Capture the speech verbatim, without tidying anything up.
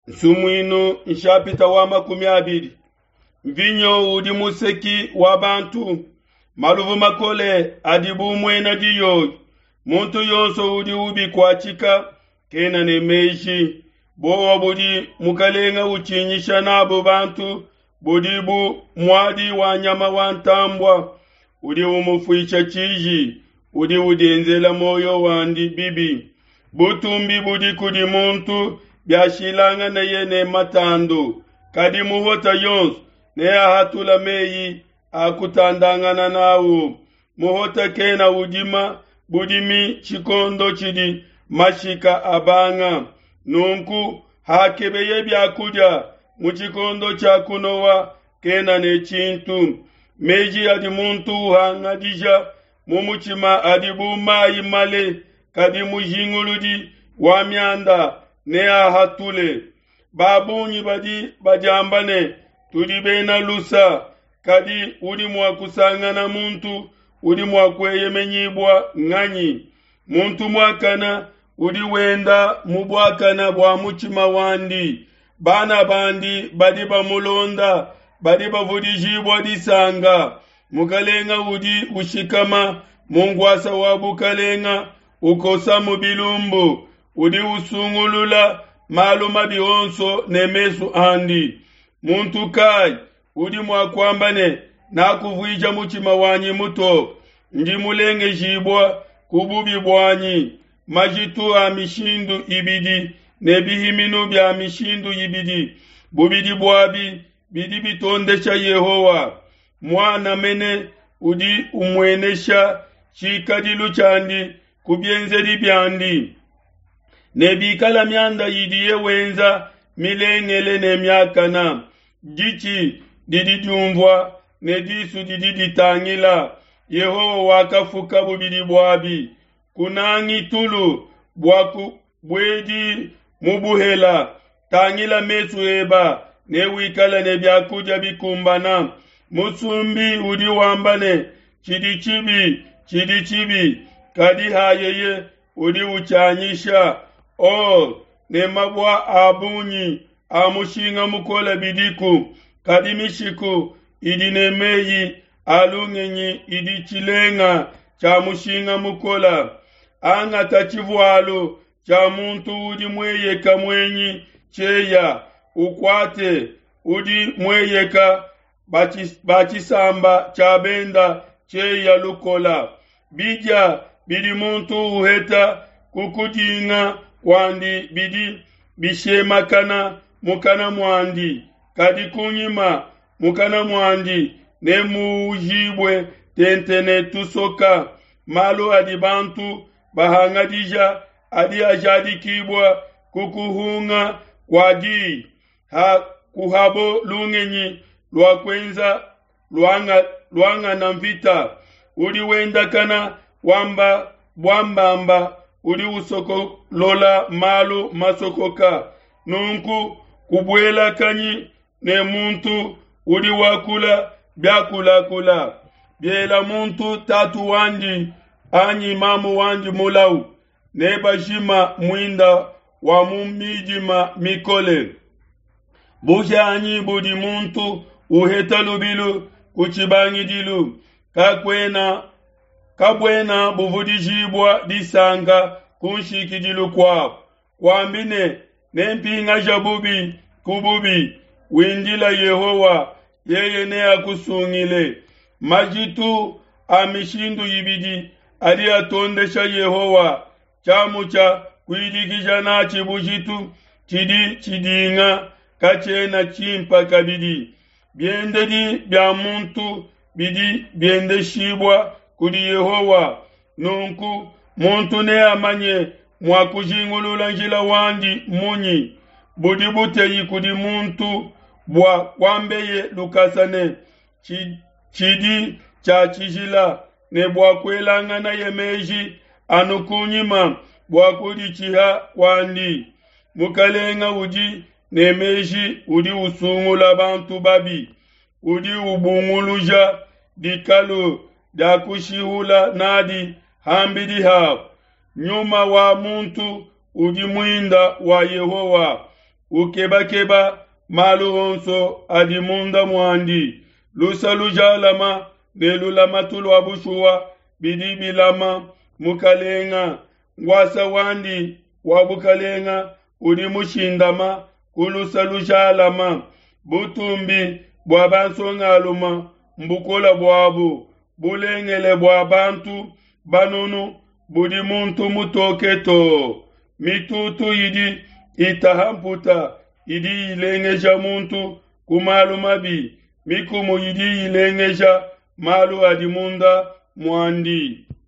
Nsumuinu nshapita wa makumi abidi. Mvinyo udi museki wa bantu, maluvu makole adi bu muena diyoyi. Muntu yonso udi ubikuatshika kena ne meji. Bowa budi mukalenga utshinyisha nabu bantu budi bu muadi wa nyama wa ntambua. Udi umufuisha tshiji, udi udienzela muoyo wandi bibi. Butumbi budi kudi muntu biashilanganeye ne matandu, kadi muhota yonso neahatula meyi a kutandangana nawu. Muhota kena udima budimi tshikondo tshidi mashika abanga. Nunku hakebeye biakudia mu tshikondo tshia kunowa kena ne tshintu. Meji adi muntu uhangadija mu mutshima adi bu mayi male, kadi mujinguludi wa mianda neahatule. Ba bungi badi badiamba ne tudi bena lusa, kadi udi mua kusangana muntu udi mua kueyemenyibua nganyi? Muntu muakana udi wenda mu buakana bua mutshima wandi. Bana bandi badi bamulonda badi bavudijibua disanka. Mukalenga udi ushikama mu nkuasa wa bukalenga ukosamu bilumbu, udi usungulula malu mabi onso ne mesu andi. Muntu kayi udi mua kuamba ne, nakuvuija mutshima wanyi mutoke, ndi mulengejibua ku bubi buanyi? Majitu a mishindu ibidi ne bihiminu bia mishindu ibidi, bubidi buabi bidi bitondesha Yehowa. Muana mene udi umuenesha tshikadilu tshiandi ku bienzedi biandi, ne bikala mianda idiye wenza milengele ne miakana. Ditshi didi diumvua ne disu didi ditangila, Yehowa wakafuka bubidi buabi. Kunangi tulu bua kubuedi mu buhela, tangila mesu eba ne wikale ne biakudia bikumbana. Musumbi udi wamba ne, tshidi tshibi tshidi tshibi, kadi hayeye udi utshianyisha. Or ne mabua a bungi a mushinga mukole bidiku, kadi mishiku idi ne meyi a lungenyi idi tshilenga tshia mushinga mukole. Angata tshivualu tshia muntu udi mueyeka muenyi tshieya, ukuate udi mueyeka ba tshisamba tshia benda tshieya lukola. Bidia bidi muntu uheta ku kudinga kuandi bidi bishemakana mukana muandi, kadi kunyima mukana muandi nemuujibue tente ne tusoka. Malu adi bantu bahangadija adi ajadikibua ku kuhunga kua diyi, ha kuhabo lungenyi lua kuenza luanga, luangana mvita. Udi wendakana wamba buambamba, udi usokolola malu masokoka. Nunku kubuelakanyi ne muntu udi wakula biakulakula. Biela muntu tatu wandi anyi mamu wandi mulau, nebajima muinda wa mu midima mikole. Buhianyi budi muntu uheta lubilu ku tshibangidilu kakuena kabuena buvudijibua disanka ku nshikidilu kuabu. Kuambi ne, nempingaja bubi ku bubi, windila Yehowa, yeye neakusungile. Majitu a mishindu ibidi adi atondesha Yehowa, tshiamu tshia kuidikija natshi bujitu tshidi tshidinga katshiena tshimpa kabidi. Biendedi bia muntu bidi biendeshibua kudi Yehowa, nunku muntu neamanye mua kujingulula njila wandi munyi? Budi buteyi kudi muntu bua kuambeye lukasa ne tshidi tshia tshijila, ne bua kuelanganaye meji anu kunyima bua kuditshiha kuandi. Mukalenga udi ne meji udi usungula bantu babi, udi ubunguluja dikalu dia kushihula nadi hambidi habo. Nyuma wa muntu udi muinda wa Yehowa, ukebakeba malu onso adi munda muandi. Lusa lujalama ne lulamatu lua bushuwa bidi bilama mukalenga. Nguasa wandi wa bukalenga udi mushindama ku lusa lujalama. Butumbi bua bansongaluma mbukola buabu, bulengele bua bantu banunu budi muntu mutoke too. Mitutu idi itaha mputa idi ilengeja muntu ku malu mabi, mikumu idi ilengeja malu adi munda muandi.